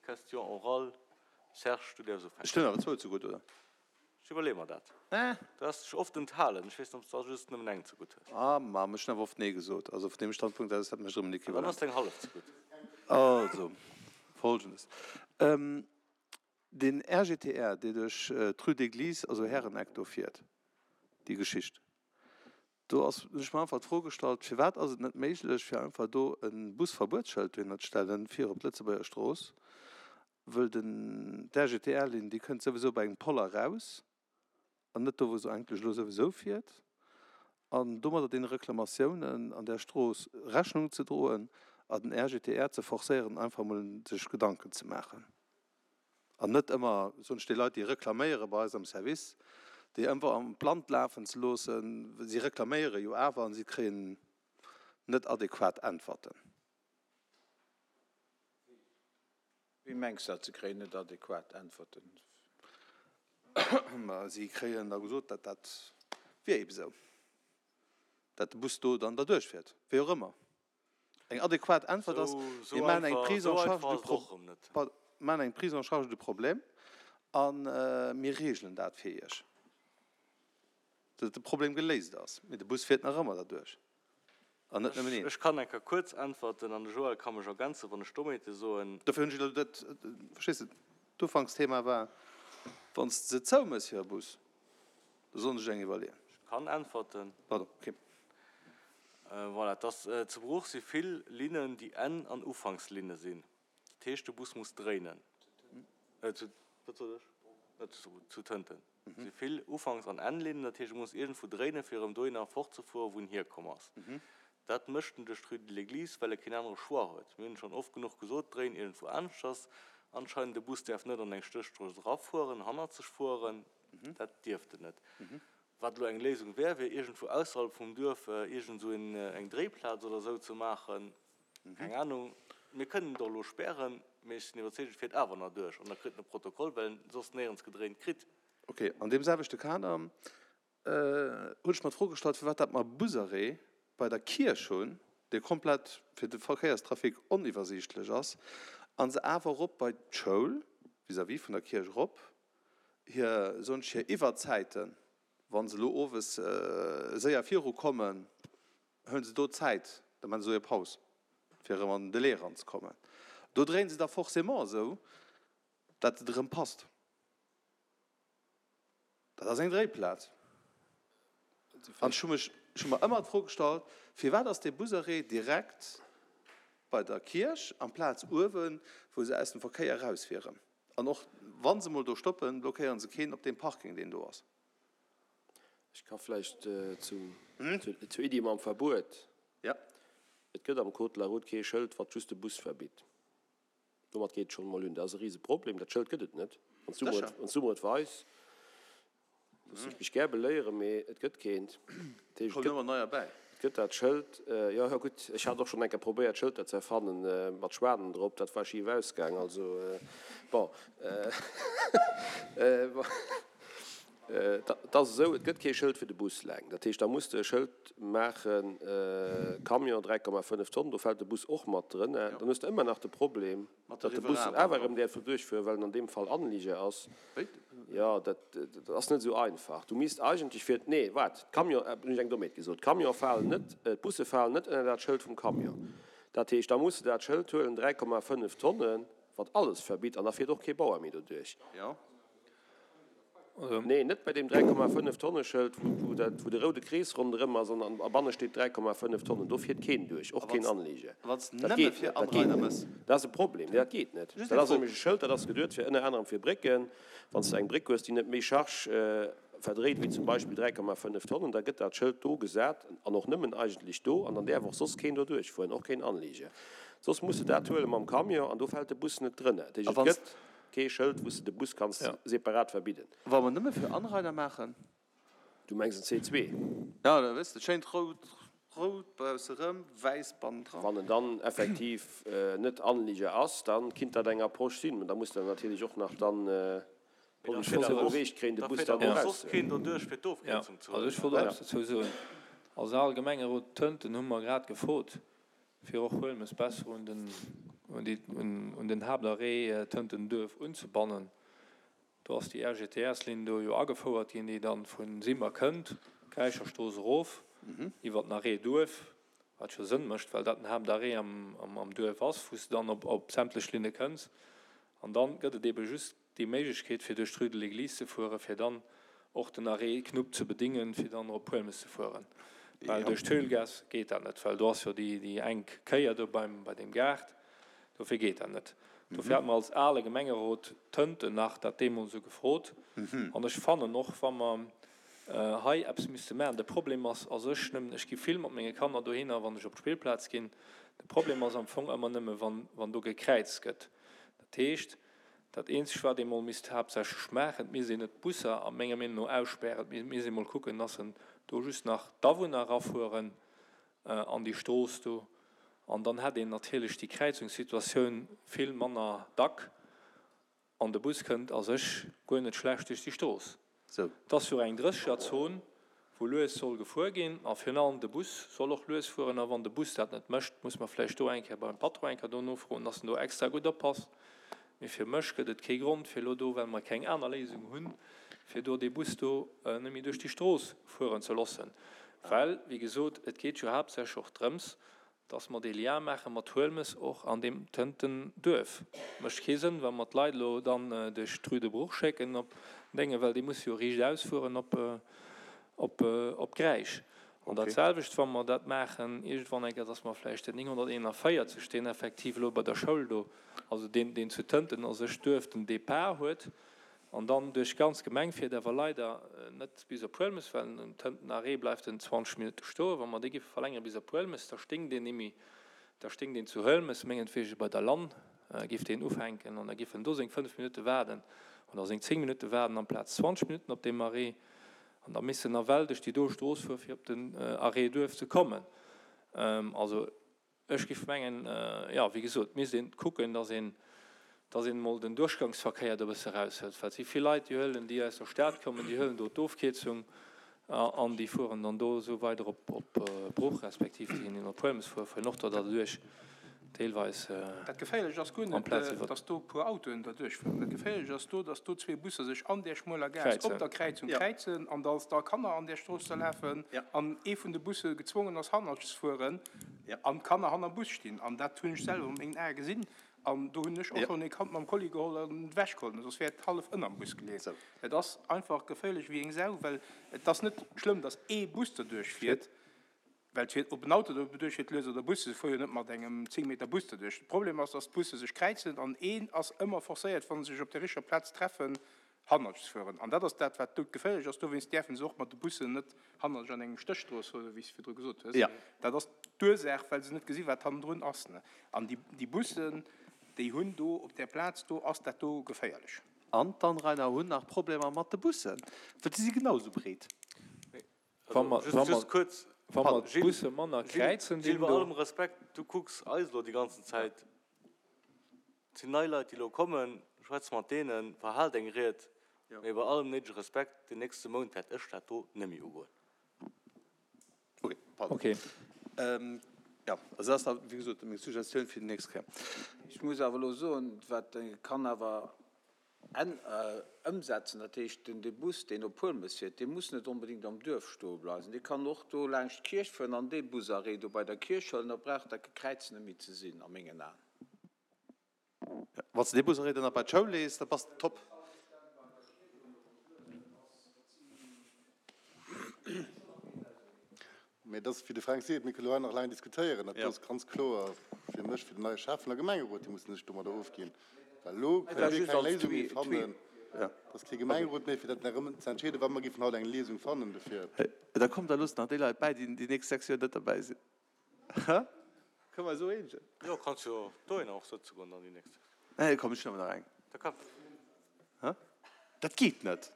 Question orale, Serge, du däerfs ufänken. Ech hunn awer zwou zegutt, oder? Ech iwwerleeë mer dat. Du has dech oft enthalen. Ech weess net, ob s de da just nëmmen eng zegutt hues. Ah, ma ech hunn awer oft Nee gesot. Also vun deem Standpunkt aus ass dat mech erëm en Dann ass Equivalent. deng hallef zegutt. Also, Folgendes, Den RGTR, dee duerch d'Rue d'Église, also Häreneck do fiert, déi Geschicht, do ass, hunn ech mer einfach d'Fro gestallt, firwat ass et net méiglech, fir einfach do e Busverbuetsschëld dohinner ze stellen, fir op d'Lëtzebuerger Strooss, wëll den, d'RGTR-Linn, déi kënnt souwisou bei engem Poller eraus an net do, wou se eigentlech elo souwisou fiert, an domadder deene Reklamatiounen an där Strooss Rechnung ze droen a den RGTR ze forcéieren, einfach emol sech Gedanken ze maachen. An net ëmmer, soen ech, déi Leit, déi reklaméiere bei eis am Service, déi ëmmer am Land lafen ze loossen. Si reklaméiere jo awer an si kréien net adequat Äntwerten. Wéi mengs de dat, se kréien net adequat Äntwerten? Ma si kréien da gesot, dat dat wier eebe sou, dat de Bus do dann derduerch fiert, wéi och ëmmer. Eng adequat Äntwert ass, mir maachen eng Prise en charge du pro, maachen eng Prise en charge du problème a mir reegelen dat fir Iech, datt de Problem geléist ass. Mee de Bus fiert nach ëmmer derduerch an net nëmmen een. Ech kann eng Kéier kuerz äntwerten an de Joël ka mech ergänzen, wann ech Dommheete soen. Dofir hunn ech elo dat, verstees de, d'Ufanksthema war, wann s de se zoumëss fir e Bus, Da sollen sech eng iwwerleeën. Ech kann äntwerten. Pardon, ok. Voilà, et ass, zu Bruch si vill Linnen, déi Enn an Ufankslinne sinn. Dat heescht, de Bus muss dréinen. Zu, wat sot ech? Zu Tënten si vill Ufanks an Ennlinnen. Dat heescht, e muss iergendwou dréinen, fir erëm dohinner fortzefueren, wou en hierkomm ass. Dat mécht en duerch d'Rue de l'Église, well e keen anere Choix huet. Mir hunn schonn oft genuch gesot, dréin iergendwou aneschters. Anscheinend, de Bus däerf net an eng Stéchstrooss erafueren, hannerzeg fueren. Dat dierft en net. Wat elo eng Léisung wär, wier iergendwou ausserhalb vum Duerf iergend esou eng Dréiplaz oder esou ze maachen. Keng Anung. Mir kënnen et och elo spären, mee ech sinn iwwerzeegt, et fiert awer nach duerch an da kritt en e Protokoll, well en soss néierens gedréint kritt. Ok, an deem selwechte Kader hunn ech mer d'Fro gestallt, firwat dat mer e Busarrêt bei der Kierch hunn, dee komplett fir de Verkéierstrafic oniwwersiichtlech ass, a se awer erop bei d'Schoul vis-à-vis vun der Kierch erop hir, soen ech, hir Iwwerzäiten, wa se elo owes séier virukommen, huele se do Zäit, da maache se do hir Paus, fir erëm an den Delai eranzekommen. Do dréine se da forcément esou, dat et erëm passt. Dat ass eng Dréiplaz. An ech hu mech, ech hu mer ëmmer d'Fro gestallt, firwat ass dee Busarrêt direkt bei der Kierch amplaz uewen, wou se aus dem Verkéier erauswieren? An och wa se mol do stoppen, blockéiere se keen op deem Parking, deen do ass. Ech ka vläicht zum, zur Iddi mam Verbuet. Ja. Et gëtt am Code de la route kee Schëld, wat just de Bus verbitt. Domat geet et schonn emol un. Dat ass e Riseproblem. Dat Schëld gëtt et net. Wann s du mer et, wann s du mer et weis, loossen ech mech gär beléieren, mee et gëtt keent. Dat heescht, et Kommt gëtt, ëmmer neier bäi. et gëtt dat Schëld, jo, jo, gutt, ech hat och schonn eng Kéier probéiert, Schëlter ze erfannen, mat Schwanen drop. Dat war schif ausgaang. Also, bon, bon. Et ass esou, et gëtt kee Schëld fir de Bus eleng. Dat heescht, da muss de e Schëld maachen, Camion 3,5 Tonnen, do fält de Bus och mat drënner. Dann hues de ëmmer nach de Problem, datt de Bus awer erëm däerf do duerchfueren, well en an deem Fall Anlieger ass. Jo, dat ass net esou einfach. Du misst eigentlech fir, nee, waart, d'Camion, hunn ech eng Dommheet gesot, d'Camion falen net, d'Busse falen net ënner dat Schëld vum Camion. Dat heescht, da muss de dat Schëld huelen, 3,5 Tonnen, wat alles verbitt, an da fiert och kee Bauer méi doduerch. Nee, net bei deem 3,5 Tonne Schëld, wou dat, wou de roude Krees ronderëm ass an a banne steet 3,5 Tonnen. Do fiert keen duerch, och keen Anleger. Dat geet net, dat geet net. Dat ass e Problem. Nee, dat geet net. Dat ass nämlech e Schëld, dat ass geduet fir ënner anerem fir Brécken. Wann s de eng Bréck hues, déi net méi Charge verdréit wéi zum Beispill 3,5 Tonnen, da gëtt dat Schëld do gesat an och nëmmen eigentlech do an dann däerf och soss keen do duerchfueren, och keen Anleger. Soss muss de dat huele mam Camion an do fält de Bus net drënner. Dat heescht, et gëtt. Kee Schëld, wou s de de Bus kanns separat verbidden. Wa mer nëmme fir Anrainer maachen. Du mengs en C2? Jo, da weess de, schéint rout, rout bausserëm, wäiss bannendran. Wann en dann effektiv net Anlieger ass, da kinnt dat eng Approche sinn. Mä da muss de natierlech och nach dann d'Police beweegt kréien, de Bus dann do erauszehuelen. Jo, also ech wollt och eppes dozou soen. Als al Gemengerot Tënten hu mer grad gefrot, fir och Huelmes besser un den. un den Haaptarrêt Tënten-Duerf unzebannen. Do ass déi RGTS-Linn do jo agefouert ginn, déi dann vu Simmer kënnt, d'Gräicherstrooss erof, iwwer den Arrêt Duerf, wat jo Sënn mécht, well dat den Haaptarrêt am Duerf ass, wou s de dann op sämtlech Linne kënns. An dann gëtt et eebe just déi Méiglechkeet, fir duerch d'Rue de l'Église ze fueren, fir dann och den Arrêt Knupp ze bedingen, fir dann op Huelmes ze fueren. Well duerch d'Höhlgaass geet dat net, well do ass jo déi enk Kéier do beim, bei deem Gaart. Dofir geet dat net. Dofir hate mer als ale Gemengerot Tënten nach dat deemools esou gefrot. An ech fannen och, wa mer hei eppes misste maachen, de Problem ass a sech nëmmen, ech gi vill mat menge Kanner dohinner, wann ech op d'Spillplaz ginn, de Problem ass am Fong ëmmer nëmme wann do gekräizt gëtt. Dat heescht, Dat eenzegt wat ee mol misst haaptsächlech maachen, et misst een net d'Busser a menger Meenung no ausspären, et misst ee mol kucken, dass en do just nach d'Awunner erafueren an déi Strooss do, an dann hätt een natierlech déi Kräizungssituatioun vill manner dack an de Bus kënnt a sech guer net schlecht duerch déi Strooss. Et ass jo eng Drëssegerzon, wou lues soll gefuer ginn, a virun allem de Bus soll och lues fueren. A wann de Bus dat net mécht, muss mer vläicht do eng Kéier beim Patron eng Kéier do nofroen, dass en do extra gutt oppasst. Mee fir mech gëtt et kee Grond, fir elo do, well mer keng aner Léisung hunn, fir do dee Bus do net méi duerch déi Strooss fueren ze loossen. Well, wéi gesot, et geet jo haaptsächlech och drëms, dass mer dee Lien maache mat Huelmes och an deem Tënten Duerf. Mécht kee Sënn, wa mer d'Leit elo dann duerch d'Rue de Bruch schécken op Dénge, well déi musse jo riichtaus fueren op, op, op Gräisch. An dat selwecht, wa mer dat maachen iergendwann eng Kéier, dass mer vläicht den 941, deen effektiv elo bei der Schoul do, also deen, deen zu Tënten a sech Duerf den Départ huet, An dann duerch d'ganz Gemeng fiert, awer leider net bis op Huelmes, well um Tënten Arrêt bleift en 20 Minutte stoen. Wa mer dee giffe verlängere bis op Huelmes, da sténgt deen némmi, da sténgt deen zu Huelmes, mengetwege bei der Lann giff deen ufänken an da giff en do seng 5 Minutte waarden oder seng 10 Minutte waarden amplaz 20 Minutten op deem Arrêt. An da misst en nawell duerch déi do Strooss fuere fir op den Arrêt Duerf ze kommen. Also Ech géif mengen, jo, wéi gesot, et misst een kucken, datt een, datt een emol den Duerchgangsverkéier do e bësse eraushëlt, well et si vill Leit, déi huelen, déi aus der Stad kommen, déi huelen do d'Ofkierzung an déi fueren dann do esou weider op, op Bruch, respektiv déi, déi op Huelmes fueren, fueren och do derduerch deelweis. Dat Geféierlecht ass guer net, amplaz iwwer. datt do e puer Autoen derduerch fueren. Dat Geféierlecht ass do, datt do zwee Busser sech an där schmueler Gaass op der Kräizung kräizen an datt da Kanner an där Strooss da lafen an ee vun de Busse gezwongen ass, hannertsch ze fueren. An d'Kanner hannerm Bus stinn. An dat hunn ech selwer mat mengen Ae gesinn. An do hunn ech och schonn ee Kand mam Kolli geholl an ewechgeholl, soss wär et hallef ënnerm Bus geleeën. Et ass einfach geféierlech wéi eng Sau, well et ass net schlëmm, datt ee Bus derduerch fiert, well et fiert, ob en Auto derduerch fiert lues oder e Bus, se fuere jo net mat engem 10 Meter Bus derduerch. De Problem ass, datt d'Busse sech kräizen an een ass ëmmer forcéiert, wa se sech op der richter Plaz treffen, hannertsch ze fueren. An dat ass dat, wat doudgeféierlech ass. Dowéinst däerfe se och mat de Bussen net hannertsch an engem Stéchstrooss fueren, wéi s de virdru gesot hues. Dat ass d'Ursaach, well se net gesi wat hannendrun ass. An déi Bussen, déi hunn do op där Plaz do, ass dat do geféierlech. An d'Anrainer hunn nach Problemer mat de Bussen, well déi si genau esou breet. Wa mer, wa mer, wa mer d'Busse manner kräizen dinn do. Gilles, bei allem Respekt, du kucks eis elo déi ganzen Zäit. Et sinn nei Leit, déi elo kommen. Schwätz mat deenen, verhal deng Ried. Mee bei allem néidege Respekt, den nächste Mount wäert ech dat do net méi ugoen. Ok, pardon. Ok. Jo, also dat ass da, wéi gesot, meng Suggestioun fir déi nächst Kéier. Ech muss awer elo soen, wat kann awer ëmsetzen, dat heescht, den dee Bus, deen op Huelmes fiert, dee muss net onbedéngt am Duerf stoe bleiwen, dee kann och do laanscht d'Kierch fueren an dee Busarrêt do bei der Kierch huelen, da brauch dat Gekräiz net méi ze sinn, a mengen Aen. Wann s de dee Busarrêt dann nach bei d'Schoul lees, da bass de top. Mee et ass, wéi de Fränk seet, mir kënnen elo hei nach laang diskutéieren. Dat do ass ganz kloer fir mech, fir den neie Schäffen a Gemengerot, déi mussen sech domadder ofginn. Well elo kënne mir keng Léisung méi fannen. Et ass kee Gemengerot méi, fir dat nach erëm ze entscheeden, wa mer géifen haut eng Léisung fannen dofir. Da kommt a loosst nach déi Leit bäi, déi déi nächst 6 Joer net derbäi sinn. Kënne mer eis esou eenegen? Jo, kanns jo dohinner och sëtze goen dann déi nächst 6 Joer. Nee, komm, ech huelen awer nach eng. Da komm. Dat geet net.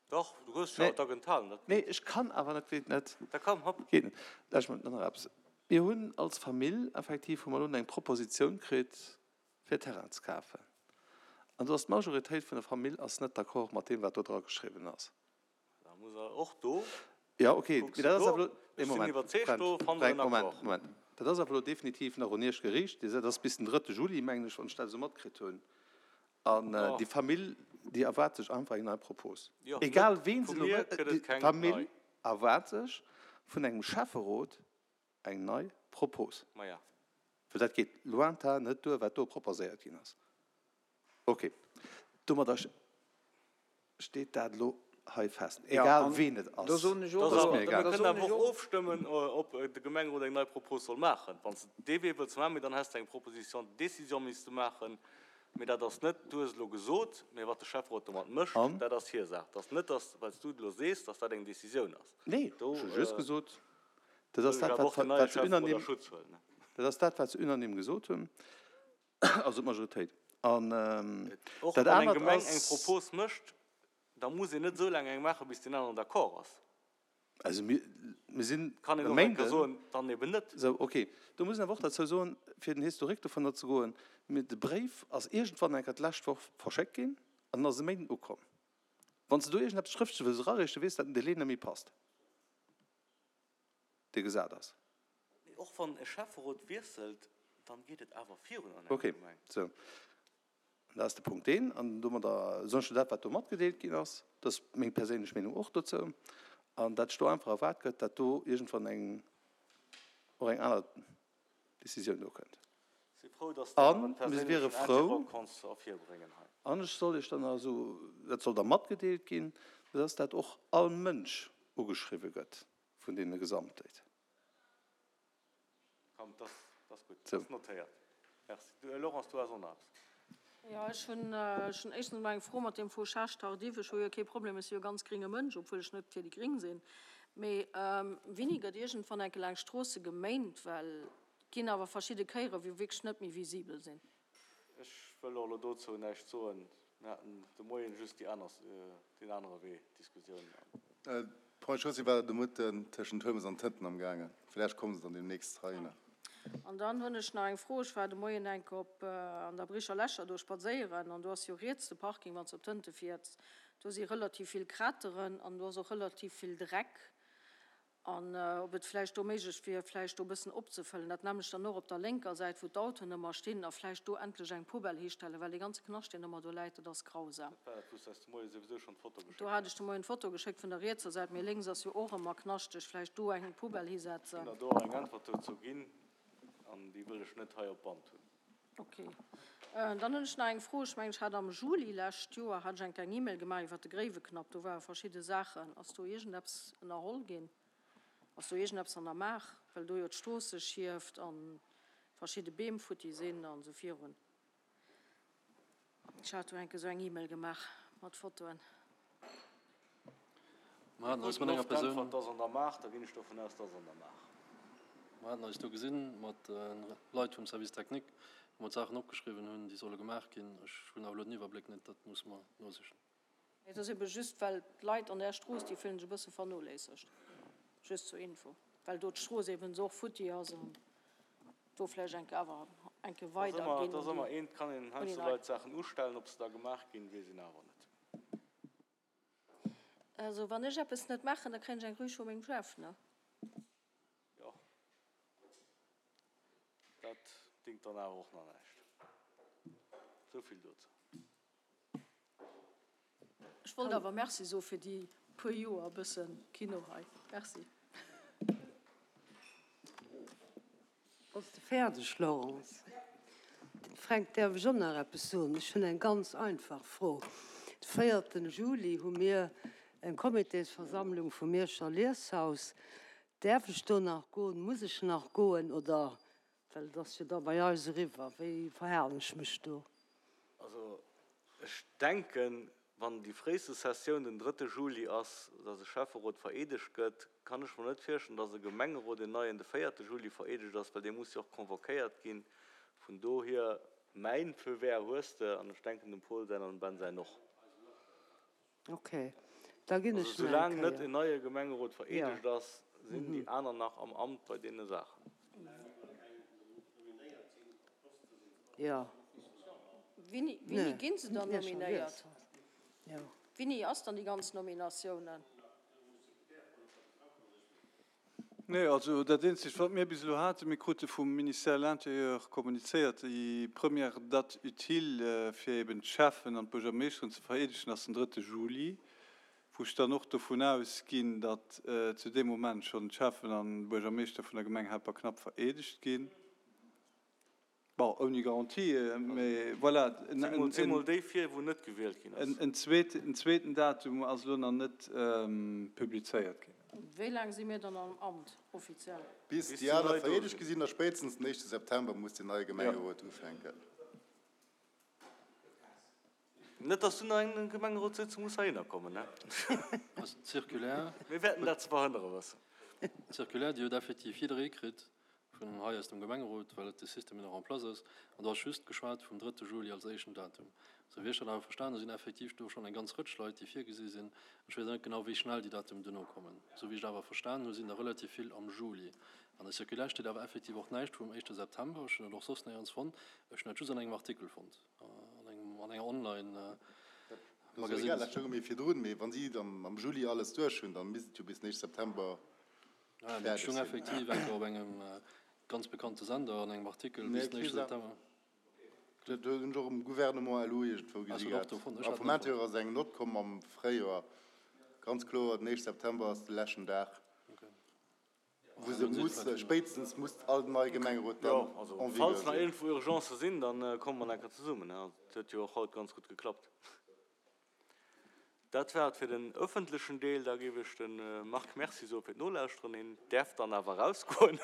Dach, du hues jo da genthalen, dat Nee, ech kann awer net, geet net. Da komm, hopp. Geet net. Lauscht mol, nach eppes. Mir hunn als Famill effektiv hu mer elo eng Propositioun kritt, fir Terrain ze kafen. An do ass d'Majoritéit vun der Famill ass net d'accord mat deem, wat do dra geschriwwen ass. Da muss er och do. Jo, okay, mee dat ass awer elo. Ech sinn iwwerzeegt, do fanne mer en Accord. Moment, Moment. Dat ass awer elo definitiv nach un Iech geriicht. Dir, dat ass bis den drëtte Juli, mengen ech, wann ech dat esou matkritt hunn. An déi Famill, déi erwaart sech einfach eng nei Propos. Egal ween se elo mécht, déi Famill erwaart sech vun engem Schäfferot eng nei Propos. Well dat geet lointain net duer, wat do proposéiert ginn ass. Ok, domadder steet dat elo hei fest, egal ween et ass. Ass mir egal. Mir kënnen awer och ofstëmmen, ob de Gemengerot eng nei Propos soll maachen. Wann s de dee Wee wëlls maachen, mee dann häss de eng Proposition de décision misste maachen. Mee dat ass net, du hues elo gesot, mee wat de Schäfferot domat mécht, dat ass hir Saach. Et ass net, dass, well s du et elo sees, dass dat eng Décisioun ass. Nee, ech hu just gesot, dat ass dat, wat se unanime, dat ass dat, wat se unanime gesot hunn. Also d'Majoritéit. An Och dat wann eng anert Gemeng eng ass. Propos mécht, da muss een net esou laang eng maachen, bis deen aneren d'accord ass. Also mir, mir sinn Kann een e och eng Kéier Méinden. soen, dann eben net. Sou, okay. Do muss een awer och derzou soen, fir den Historique dovunner ze goen, mir, de Bréif ass iergendwann eng Kéier d'lescht Woch verschéckt ginn an en ass e Méinden ukomm. Wann s de do iergendeppes Schrëftleches wëlls erareechen, weess de, datt den Délai net méi passt, dee gesat ass. Mee och wann e Schäfferot wiesselt, dann geet et awer virun an enger Okay, Gemeng. sou. An dat ass de Punkt deen. An domadder soen ech dat, wat do matgedeelt ginn ass. Dat ass meng perséinlech Meenung och dozou. An dat ech do einfach erwaart gëtt, dat do iergendwann eng, och eng aner Décisioun do kënnt. Si frou, dass de awer en An mir wiere perséinlechen frou, Intérêt konns ervirbréngen hei. An ech soll Iech dann also, dat soll da matgedeelt ginn, dass dat och all Mënsch ugeschriwwe gëtt vun deene Gesamtléit. Komm, dat ass gutt. Dat ass notéiert. Merci. Du, Laurence, du has och nach eppes. Jo, ech hunn, ech hunn éischtens emol eng Fro mat deem Fauchage tardif. Ech hu jo kee Problem, ech si jo ganz gringe Mënsch, obwuel ech net fir déi Gring sinn. Mee wéini gëtt iergendwann enke laang Stroosse geméint? Well et ginn awer verschidde Kéiere wou wierklech net méi visibel sinn. Ech wëll och elo dozou näischt soen. Mir haten de Moien just déi aner, deen anere Wee Diskussioun. D'Ponts et Chaussées war de Mëtten tëschent Huelmes an Tënten am gaangen. Vläicht komme se dann deemnächst heihinner. An dann hunn ech nach eng Fro. Ech war de Moien enk op an der Bricher Lächer do spadséieren an do ass jo riets de Parking, wann s de op Tënte fiers. Do si relativ vill Krateren an do ass och relativ vill Dreck. An ob et vläicht do méiglech wier, vläicht do e bëssen opzefëllen, dat nämmlecht dann och op der lénker Säit, wou d'Autoen ëmmer stinn, a vläicht do endlech eng Poubelle histellen, well dee ganze Knascht, deen ëmmer do läit, dat ass grausam. Dat war dat, wou s de eis de Moie souwisou schonn d'Foto geschéckt Do hat ech de Moien d'Foto geschéckt vun der rietser Säit, mee lénks ass jo och ëmmer knaschteg. Vläicht do eng Poubelle hisetzen. Ech hunn der do och eng Äntwert dozou ginn, an déi wëll ech net hei op Band hunn. Ok. Dann hunn ech nach eng Fro. Ech mengen, ech hat am Juli lescht Joer hat ech enk eng E-Mail gemaach iwwert de Gréiweknapp. Do ware verschidde Saachen. Ass do iergendeppes ënnerholl ginn? Ass do iergendeppes an der Maach? Well do jo d'Strooss sech hieft a verschidde Beem futti sinn an esou virun. Ech hat do enk esou eng E-Mail gemaach mat Fotoen. Mer haten eis mat enger Persoun. Äntwert, Ass an der Maach, da ginn ech dovun aus, dass an der Maach. Mer haten eis do gesinn mat Leit vum Service technique, wou mer d'Saachen opgeschriwwen hunn, déi solle gemaach ginn. Ech hunn awer elo den Iwwerbléck net, dat musse mer nosichen. Et ass ebe just, well d'Leit an där Strooss, déi fillen sech e bësse vernoléissegt. Just zur Info, well do d'Strooss eben esou och futti ass an do vläicht enke awer enke weider ginn. Et ass ëmmer eent, kann een heiansdo Leit Saachen ustellen, ob se da gemaach ginn, weess een awer net. Also wann ech eppes net maachen, da kréien ech eng Rüg vu mengem Chef, ne? Jo, dat dingt dann awer och nach näischt. Esou vill dozou. Ech wollt awer Merci soe fir déi puer Joer e bësse Kino hei. Merci. Bass de fäerdeg, Laurence? Fränk, däerf ech och nach eppes soen? Ech hunn eng ganz einfach Fro. De véierten Juli hu mir eng Comitésversammlung vum Mierscher Lieshaus. Däerf ech do nach goen? Muss ech nach goen? Oder, well et ass jo da bei eis eriwwer, wéi verhalen ech mech do? Also ech denken, wann déi fréiste Sessioun den drëtte Juli ass, dass e Schäfferot vereedegt gëtt, kann ech mer net virstellen, dass e Gemengerot, en neien, de véierte Juli vereedegt ass, well dee muss jo och convoquéiert ginn. Vun dohier, mäin Feu vert hues de, an ech denken dem Paul säin an dem Ben säin och. Ok, da ginn ech Also nach eng soulaang net Kéier. en neie Gemengerot vereedegt ass, sinn déi aner nach am Amt bei deene Saachen. Jo. Wini, wini ginn se dann nominéiert? Wini ass dann déi ganz Nominatiounen? Nee, also dat eenzegt, wat mir bis elo haten, mir krute vum Ministère de l'Intérieur kommunizéiert, déi première date utile, fir eben d'Schäffen an d'Buergermeeschteren ze vereedegen, ass den drëtte Juli, wou ech dann och dovun ausginn, datt zu deem Moment schonn d'Schäffen an d'Buergermeeschter vun der Gemeng Helperknapp vereedegt ginn. Bon, ouni Garantie, mee voilà. Zemol déi vir, wou net gewielt ginn ass. En zweeten Datum ass elo nach net publizéiert ginn. Wéi laang si mir dann am Amt offiziell? Bis déi aner vereedegt gi sinn, a spéitstens den éischte September muss den neie Gemengerot ufänken. Net, dass du nach eng Gemengerotssitzung muss heihinner kommen, ne? Also d'Circulaire. Mir wäerten dat ze verhënnere wëssen. D'Circulaire, déi huet effektiv jidderee kritt vun hei aus dem Gemengerot, well et de Système nach en place ass. An do ass just geschwat vum drëtte Juli als éischten Datum. Esou wéi ech dat awer verstan hu sinn effektiv do schonn eng ganz Rëtsch Leit, déi virgesi sinn. Ech weess awer net genau, wéi schnell déi Datumen duerno kommen. Esou wéi ech et awer verstan hu sinn der relativ vill am Juli. An der Circulaire steet awer effektiv och näischt vum éischte September. Ech hunn dat och soss néierens fonnt. Ech hunn dat just an engem Artikel fonnt. An enger online Magazine. Dat stoung mir virdrun, mee wann si dann am Juli alles duerch hunn, dann misst et jo bis den éischte September fäerdeg sinn. Dat stoung effektiv eng Kéier op engem ganz bekannte Sender an engem Artikel bis den éischte September. Dat hunn ech och um Gouvernement LU iergendwou gesi gehat. A vum Intérieur ass eng Nott komm am Fréijoer, ganz kloer, den éischte September ass de leschten Dag. Wou se muss, spéitstens muss all neie Gemengerot dann en vigueur sinn. Falls nach iergendwou Urgencë sinn, da komme mer nach eng Kéier zesummen. Dat huet jo och haut ganz gutt geklappt. Dat war et fir den ëffentlechen Deel. Da géif ech dem Marc Merci soe fir d'Nolauschteren. Hien däerf dann awer erausgoen.